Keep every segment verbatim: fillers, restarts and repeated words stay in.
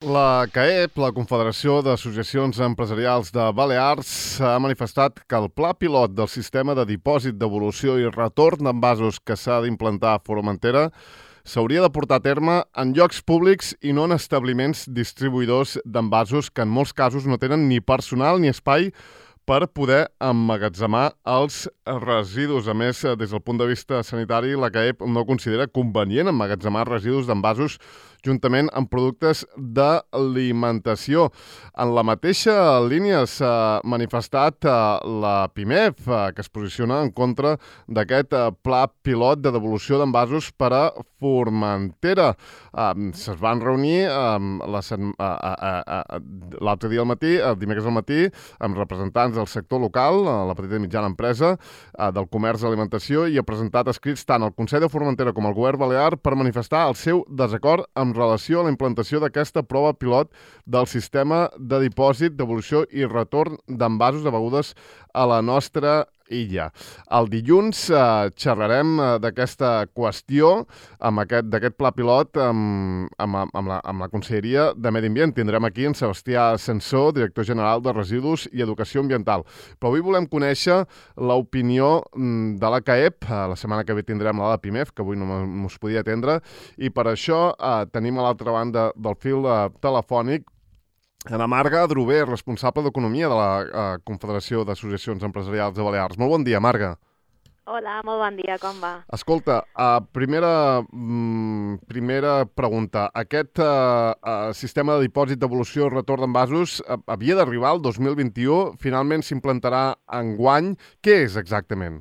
La CAEP, la Confederació d'Associacions Empresarials de Balears, ha manifestat que el pla pilot del sistema de dipòsit, devolució i retorn d'envasos que s'ha d'implantar a Formentera s'hauria de portar a terme en llocs públics i no en establiments distribuïdors d'envasos que en molts casos no tenen ni personal ni espai per poder emmagatzemar els residus. A més, des del punt de vista sanitari, la CAEP no considera convenient emmagatzemar residus d'envasos juntament amb productes d'alimentació. En la mateixa línia s'ha manifestat la PIMEF, que es posiciona en contra d'aquest pla pilot de devolució d'envasos per a Formentera. Se's van reunir l'altre dia al matí, el dimecres al matí, amb representants del sector local, la petita i mitjana empresa, del comerç d'alimentació, i ha presentat escrits tant al Consell de Formentera com al Govern Balear per manifestar el seu desacord amb relació a la implantació d'aquesta prova pilot del sistema de dipòsit, devolució i retorn d'envasos de begudes a la nostra illa. El dilluns eh, xerrarem eh, d'aquesta qüestió, amb aquest, d'aquest pla pilot, amb, amb, amb, la, amb la Conselleria de Medi Ambient. Tindrem aquí en Sebastià Sensó, director general de Residus i Educació Ambiental. Però avui volem conèixer l'opinió de la CAEP. La setmana que ve tindrem la de PIMEF, que avui no us podia atendre, i per això eh, tenim a l'altra banda del fil eh, telefònic Ana Marga Drover, responsable d'Economia de la eh, Confederació d'Associacions Empresarials de Balears. Molt bon dia, Marga. Hola, molt bon dia, com va? Escolta, uh, primera, mm, primera pregunta. Aquest uh, uh, sistema de dipòsit, devolució i retorn d'envasos uh, havia d'arribar el dos mil vint-i-u, finalment s'implantarà enguany. Què és exactament?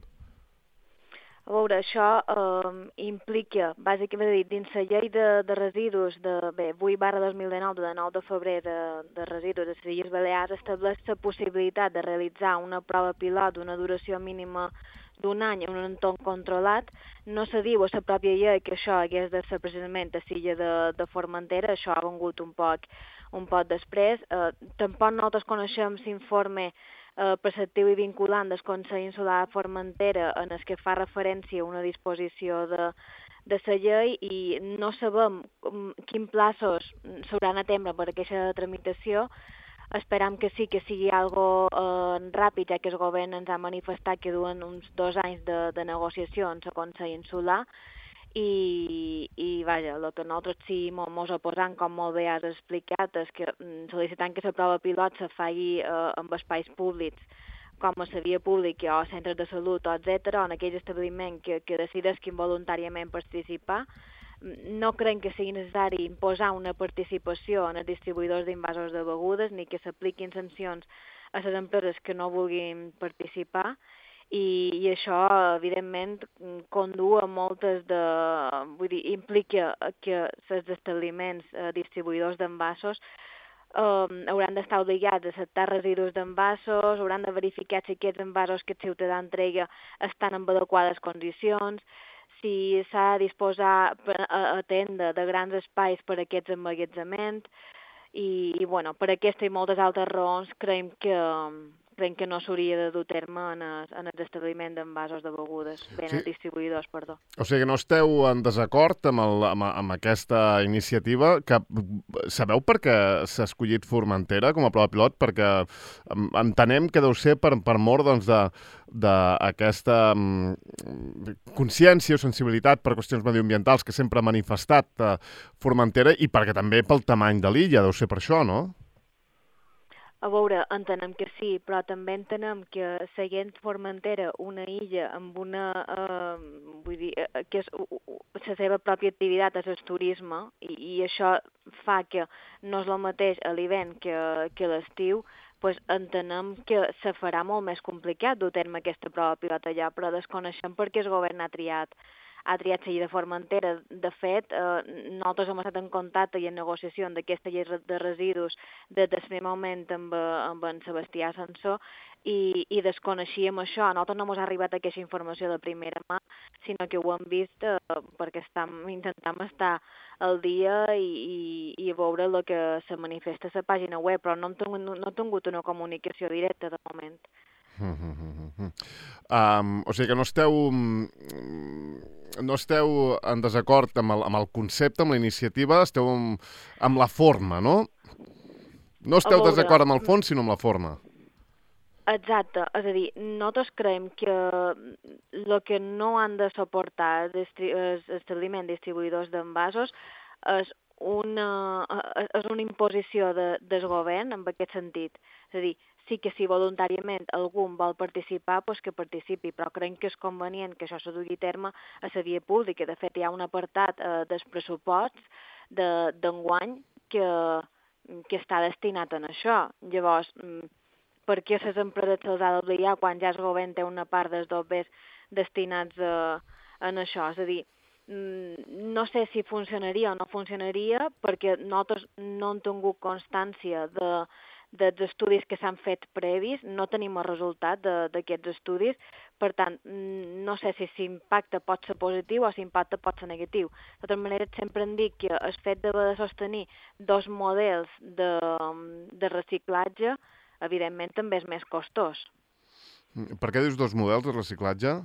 A veure, això eh, implica, bàsicament, dins la llei de, de residus de bé, vuit barra dos mil dinou, de nou de febrer de, de residus de les Illes Balears, estableix la possibilitat de realitzar una prova pilot d'una duració mínima d'un any en un entorn controlat. No se diu a la pròpia llei que això hagués de ser precisament a l'illa de, de Formentera, això ha vengut un poc, un poc després. Eh, tampoc nosaltres coneixem l'informe eh, preceptiu i vinculant del Consell Insular de Formentera en el que fa referència a una disposició de, de la llei, i no sabem quins plaços s'hauran d'atendre per aquesta tramitació. Esperam que sí, que sigui algo eh, ràpid, ja que el govern ens ha manifestat que duen uns dos anys de, de negociacions a Consell Insular, i, i vaja, el que nosaltres sí ens oposam, com molt bé has explicat, és que sol·licitant que la prova pilot se faci eh, amb espais públics, com a la via pública o centres de salut, etcètera, o en aquells establiments que, que decidisquin voluntàriament participar. No creiem que sigui necessari imposar una participació en els distribuïdors d'invasos de begudes, ni que s'apliquin sancions a les empreses que no vulguin participar, i, i això, evidentment, condu a moltes de... Vull dir, implica que els establiments eh, distribuïdors d'envasos eh, hauran d'estar obligats a acceptar residus d'envasos, hauran de verificar si aquests envasos que el ciutadà entrega estan en adequades condicions, si s'ha de disposar a atendre de grans espais per a aquests emmagatzements, i, i bueno, per aquesta i moltes altres raons creiem que, creiem que no s'hauria de dur terme en el, en el establiment d'envasos de begudes, bé, en els distribuïdors, perdó. O sigui, no esteu en desacord amb, el, amb, amb aquesta iniciativa, que sabeu per què s'ha escollit Formentera com a prova pilot? Perquè entenem que deu ser per, per mort, doncs, de d'aquesta um, consciència o sensibilitat per qüestions medioambientals que sempre ha manifestat uh, Formentera, i perquè també pel tamany de l'illa, deu ser per això, no? A veure, entenem que sí, però també entenem que seguint Formentera, una illa amb una, eh, vull dir, eh, que és la seva pròpia activitat és el turisme, i, i això fa que no és el mateix a l'hivern que, que l'estiu, pues entenem que se farà molt més complicat dur a terme aquesta prova pilot allà, però desconeixem per què el govern ha triat ha triat la llei de Formentera. De fet, eh, nosaltres hem estat en contacte i en negociació d'aquesta llei de residus des del primer moment amb, amb en Sebastià Sensó, i, i desconeixíem això. A nosaltres no ens ha arribat aquesta informació de primera mà, sinó que ho hem vist eh, perquè estam, intentem estar al dia i, i, i veure el que se manifesta a la pàgina web, però no hem tingut, no hem tingut una comunicació directa de moment. Mm -hmm. um, o sigui que no esteu no esteu en desacord amb el, amb el concepte, amb la iniciativa, esteu amb, amb la forma, no? No esteu en desacord amb el fons, sinó amb la forma. Exacte, és a dir, nosaltres creiem que el que no han de suportar els establiments distribuïdors d'envasos és una, és una imposició de, del govern en aquest sentit. És a dir, sí que si voluntàriament algú vol participar, doncs que participi, però creiem que és convenient que això se dugui a terme a la via pública. De fet, hi ha un apartat eh, dels pressuposts d'enguany que, que està destinat a això. Llavors, per què les empreses se'ls ha d'obligar quan ja el govern té una part dels dobbers destinats a, a això? És a dir, no sé si funcionaria o no funcionaria perquè nosaltres no hem tingut constància de, dels estudis que s'han fet previs, no tenim el resultat d'aquests estudis, per tant, no sé si l'impacte pot ser positiu o si l'impacte pot ser negatiu. De tota manera, sempre hem dit que el fet d'haver de sostenir dos models de, de reciclatge evidentment també és més costós. Per què dius dos models de reciclatge?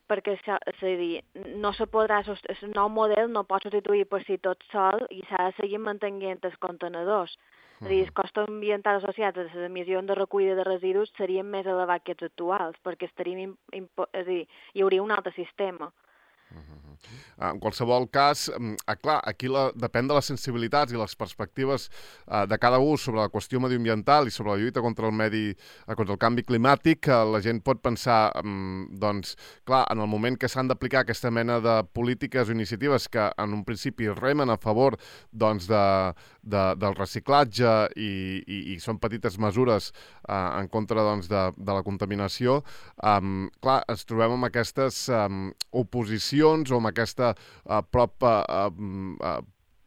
Perquè, és a dir, no se podrà, el nou model no pot substituir per si tot sol i s'ha de seguir mantenint els contenedors. És a dir, els costos ambientals associats a les emissions de recollida de residus serien més elevats que els actuals, perquè estaríem, és a dir, hi hauria un altre sistema. En qualsevol cas, eh, clar, aquí la, depèn de les sensibilitats i les perspectives eh, de cada un sobre la qüestió medioambiental i sobre la lluita contra el medi, eh, contra el canvi climàtic, que la gent pot pensar, eh, doncs, clar, en el moment que s'han d'aplicar aquesta mena de polítiques o iniciatives que en un principi remen a favor doncs, de, de, del reciclatge i, i, i són petites mesures eh, en contra doncs, de, de la contaminació, eh, clar, ens trobem amb aquestes eh, oposicions o amb aquesta uh, prop uh, uh,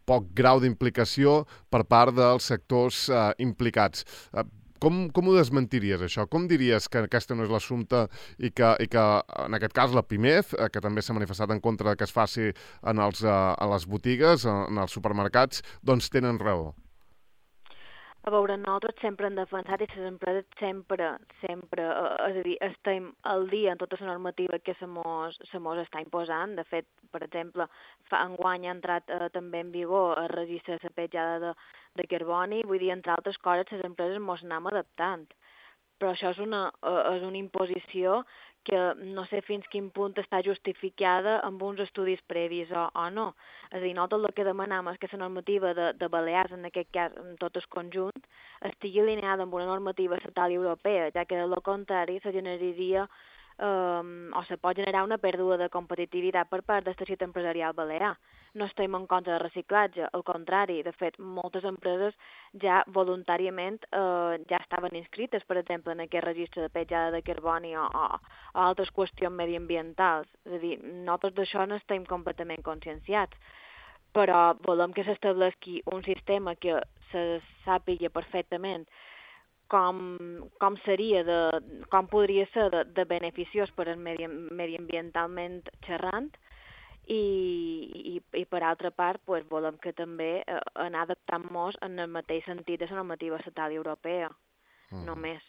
poc grau d'implicació per part dels sectors uh, implicats. Uh, com, com ho desmentiries, això? Com diries que aquesta no és l'assumpte i que, i que, en aquest cas, la Pimef, uh, que també s'ha manifestat en contra que es faci en, els, uh, en les botigues, en els supermercats, doncs tenen raó? A veure, nosaltres sempre hem defensat i les empreses sempre, sempre, és a dir, estem al dia en tota la normativa que se mos, se mos està imposant. De fet, per exemple, fa enguany ha entrat eh, també en vigor el registre de la petjada de, de carboni, vull dir, entre altres coses, les empreses mos anem adaptant. Però això és una, és una imposició que no sé fins quin punt està justificada amb uns estudis previs o, o no. És a dir, nosaltres el que demanem és que la normativa de, de Balears, en aquest cas, en tot el conjunt, estigui alineada amb una normativa estatal i europea, ja que, del contrari, se generaria Um, o se pot generar una pèrdua de competitivitat per part del teixit empresarial balear. No estem en contra del reciclatge, al contrari, de fet, moltes empreses ja voluntàriament uh, ja estaven inscrites, per exemple, en aquest registre de petjada de carboni o, o, o altres qüestions mediambientals. És a dir, nosaltres d'això no estem completament conscienciats, però volem que s'estableixi un sistema que se sàpiga perfectament Com, com seria, de, com podria ser de, de beneficiós per al medi, mediambientalment xerrant i, i, i per altra part pues, volem que també eh, anar adaptant-nos en el mateix sentit de la normativa estatal i europea, mm. només.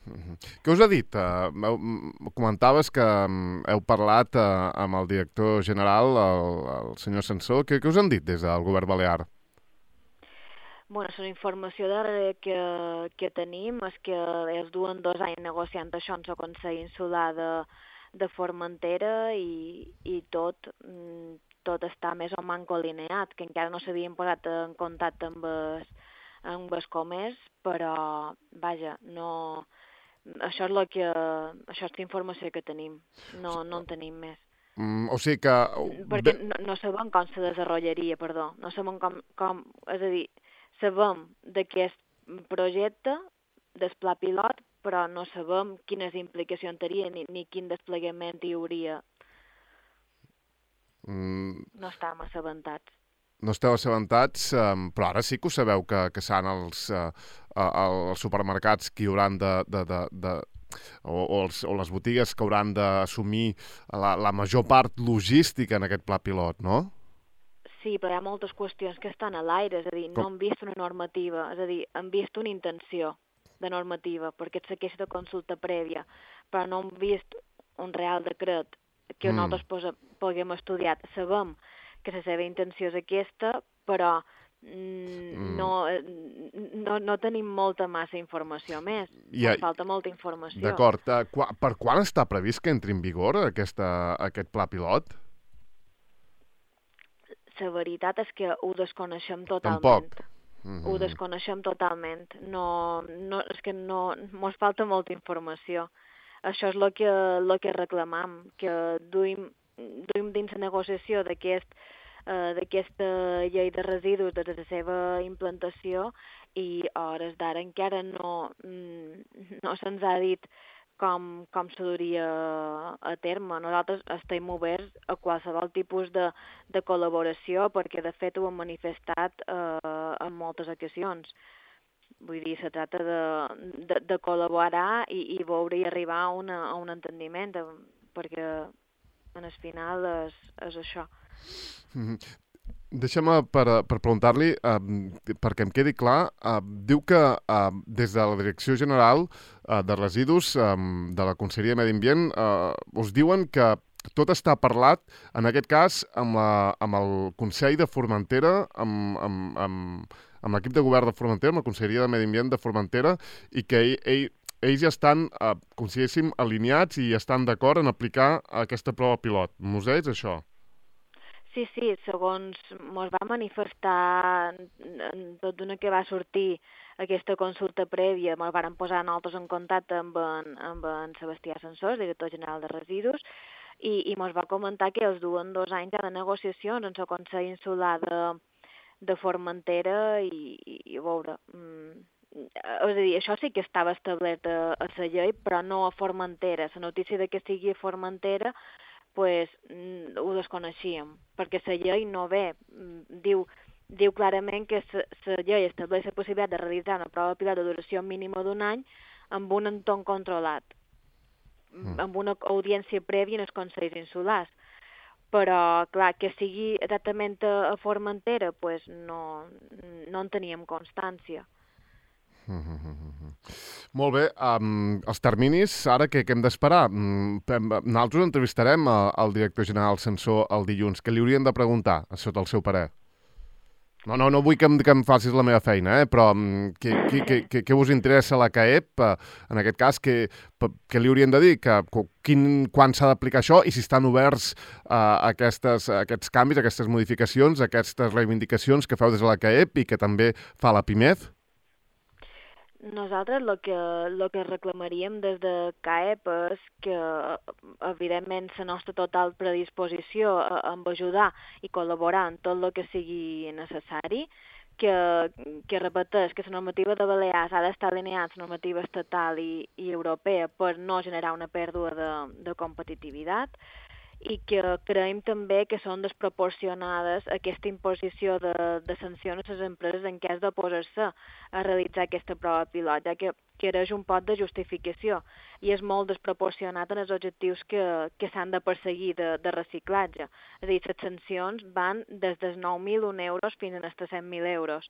Mm-hmm. Què us ha dit? Uh, comentaves que um, heu parlat uh, amb el director general, el, el senyor Sansó. Què, què us han dit des del govern balear? Bueno, la informació darrere que, que tenim és que es duen dos anys negociant això en la Consell Insular de, de Formentera i, i tot, tot està més o manco alineat, que encara no s'havien posat en contacte amb el, amb el comerç, però, vaja, no... Això és, la que, això és la informació que tenim, no, no en tenim més. Mm, o sigui que... Perquè no, no sabem com se desenvoluparia, perdó, no sabem com, com... És a dir, sabem d'aquest projecte, del pla pilot, però no sabem quines implicacions tenia ni, ni quin desplegament hi hauria. Mm. No estàvem assabentats. No esteu assabentats, um, però ara sí que ho sabeu que, que seran els, uh, els supermercats que hi hauran de... de, de, de o, o, els, o les botigues que hauran d'assumir la, la major part logística en aquest pla pilot, no? Sí, però hi ha moltes qüestions que estan a l'aire, és a dir, no han vist una normativa, és a dir, han vist una intenció de normativa, perquè et segueix de consulta prèvia, però no han vist un real decret que Mm. nosaltres posa, puguem estudiar. Sabem que la seva intenció és aquesta, però mm, no, no, no tenim molta massa informació més. I, Ens falta molta informació. D'acord. Uh, qua, per quan està previst que entri en vigor aquesta, aquest pla pilot? La veritat és que ho desconeixem totalment. Tampoc. Mm-hmm. Ho desconeixem totalment. No, no, és que no, mos falta molta informació. Això és el que, lo que reclamam, que duim, duim dins la negociació d'aquest uh, d'aquesta llei de residus des de la seva implantació i a hores d'ara encara no, no se'ns ha dit com, com se duria a terme. Nosaltres estem oberts a qualsevol tipus de, de col·laboració perquè de fet ho hem manifestat uh, en moltes ocasions. Vull dir, se tracta de, de, de col·laborar i, i veure i arribar a, una, a un entendiment, de, perquè en el final és, és això. Mm-hmm. Deixa'm per, per preguntar-li, eh, perquè em quedi clar, eh, diu que eh, des de la Direcció General eh, de Residus eh, de la Conselleria de Medi Ambient eh, us diuen que tot està parlat, en aquest cas, amb, la, amb el Consell de Formentera, amb, amb, amb, amb l'equip de govern de Formentera, amb la Conselleria de Medi Ambient de Formentera, i que ell, ell, ells ja estan, eh, consideréssim, alineats i estan d'acord en aplicar aquesta prova pilot. Mos deis això? Sí, sí, segons mos va manifestar tot d'una que va sortir aquesta consulta prèvia, mos varen posar nosaltres en contacte amb en, amb en Sebastià Sansós, director general de Residus, i, i mos va comentar que els duen dos anys de negociacions en el Consell Insular de, de Formentera i, i, i a veure... Mm, és a dir, això sí que estava establert a, a la llei, però no a Formentera. La notícia de que sigui a Formentera pues, mm, ho desconeixíem, perquè la llei no ve, mm, diu, diu clarament que la llei estableix la possibilitat de realitzar una prova pilot de duració mínima d'un any amb un entorn controlat, mm. amb una audiència prèvia en els consells insulars. Però, clar, que sigui exactament a Formentera, pues no, no en teníem constància. Mm-hmm. Molt bé, um, els terminis, ara què, què hem d'esperar? Um, nosaltres entrevistarem el director general Sansó el dilluns. Què li haurien de preguntar, sota el seu parer? No, no, no vull que em, que em facis la meva feina, eh? Però um, què, què, què, què us interessa a la C A E P? En aquest cas, què, què li haurien de dir? Que, quin, quan s'ha d'aplicar això i si estan oberts uh, aquestes, aquests canvis, aquestes modificacions, aquestes reivindicacions que feu des de la C A E P i que també fa la PIMED? Nosaltres el que, lo que reclamaríem des de C A E P és que, evidentment, la nostra total predisposició a, a ajudar i col·laborar en tot el que sigui necessari, que, que repeteix que la normativa de Balears ha d'estar alineada amb la normativa estatal i, i europea per no generar una pèrdua de, de competitivitat, i que creiem també que són desproporcionades aquesta imposició de, de sancions a les empreses en cas d'oposar-se a realitzar aquesta prova pilot, ja que quereix un pot de justificació i és molt desproporcionat en els objectius que, que s'han de perseguir de, de reciclatge. És a dir, les sancions van des dels nou mil un euros fins als cent mil euros.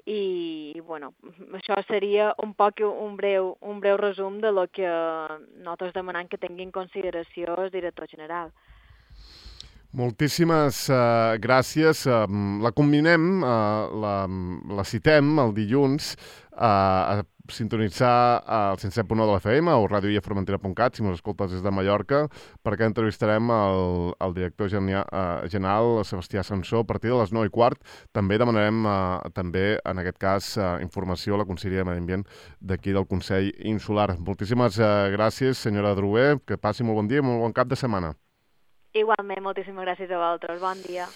I, bueno, això seria un poc un breu, un breu resum de lo que nosaltres demanem que tingui en consideració el director general. Moltíssimes uh, gràcies. Uh, la combinem, uh, la, la citem el dilluns uh, a sintonitzar el cent set punt nou de l'F M o ràdio i a formentera punt cat, si mos escoltes des de Mallorca, perquè entrevistarem el, el director genia, uh, general, Sebastià Sansó, a partir de les nou i quart. També demanarem, uh, també, en aquest cas, uh, informació a la Conselleria de Medi Ambient d'aquí del Consell Insular. Moltíssimes uh, gràcies, senyora Drué, que passi molt bon dia i molt bon cap de setmana. Igualment, moltíssimes gràcies a vosaltres. Bon dia.